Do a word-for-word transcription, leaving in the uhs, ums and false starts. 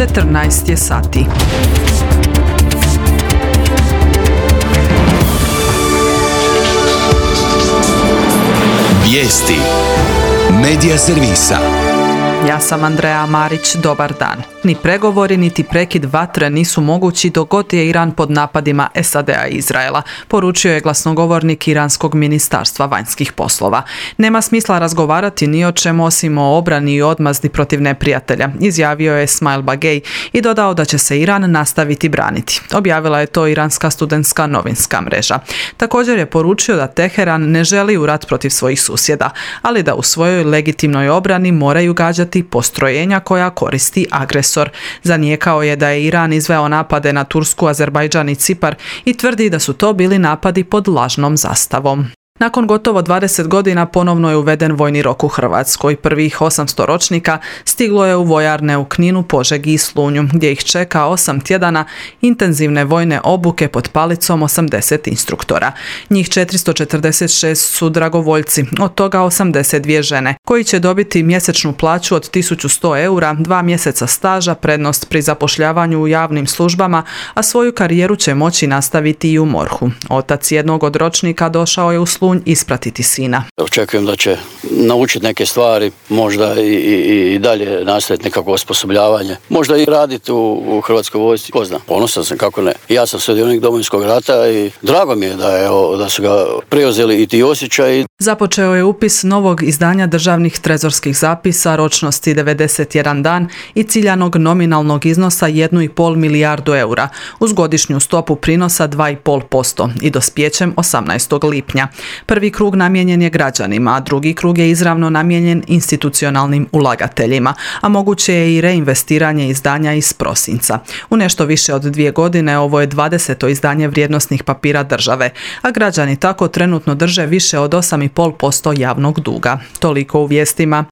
četrnaest je sati. Vijesti Medija servisa. Ja sam Andreja Marić, dobar dan. Ni pregovori, niti prekid vatre nisu mogući dok god je Iran pod napadima S A D-a i Izraela, poručio je glasnogovornik Iranskog ministarstva vanjskih poslova. Nema smisla razgovarati ni o čemu osim o obrani i odmazdi protiv neprijatelja, izjavio je Esmail Bagej i dodao da će se Iran nastaviti braniti. Objavila je to iranska studentska novinska mreža. Također je poručio da Teheran ne želi u rat protiv svojih susjeda, ali da u svojoj legitimnoj obrani moraju gađati postrojenja koja koristi agresor. Zanijekao je da je Iran izveo napade na Tursku, Azerbajdžan i Cipar i tvrdi da su to bili napadi pod lažnom zastavom. Nakon gotovo dvadeset godina ponovno je uveden vojni rok u Hrvatskoj. Prvih osamsto ročnika stiglo je u vojarne u Kninu, Požegi i Slunju, gdje ih čeka osam tjedana intenzivne vojne obuke pod palicom osamdeset instruktora. Njih četiristo četrdeset šest su dragovoljci, od toga osamdeset dvije žene, koji će dobiti mjesečnu plaću od tisuću sto eura, dva mjeseca staža, prednost pri zapošljavanju u javnim službama, a svoju karijeru će moći nastaviti i u MORH-u. Otac jednog od ročnika došao je u Slunj ispratiti sina. Očekujem da će naučiti neke stvari, možda i, i, i dalje nastaviti nekako osposobljavanje, možda i raditi u, u Hrvatskoj vojsci. Ko zna, ponosan sam, kako ne. Ja sam sudionik Domovinskog rata i drago mi je da, je, da su ga preuzeli i ti osjećaji. Započeo je upis novog izdanja državnih trezorskih zapisa ročnosti devedeset jedan dan i ciljanog nominalnog iznosa jednu i pol milijardu eura uz godišnju stopu prinosa dva i pol posto i dospijećem osamnaestog lipnja. Prvi krug namijenjen je građanima, a drugi krug je izravno namijenjen institucionalnim ulagateljima, a moguće je i reinvestiranje izdanja iz prosinca. U nešto više od dvije godine ovo je dvadeseto izdanje vrijednosnih papira države, a građani tako trenutno drže više od osam i pol posto javnog duga. Toliko u vijestima.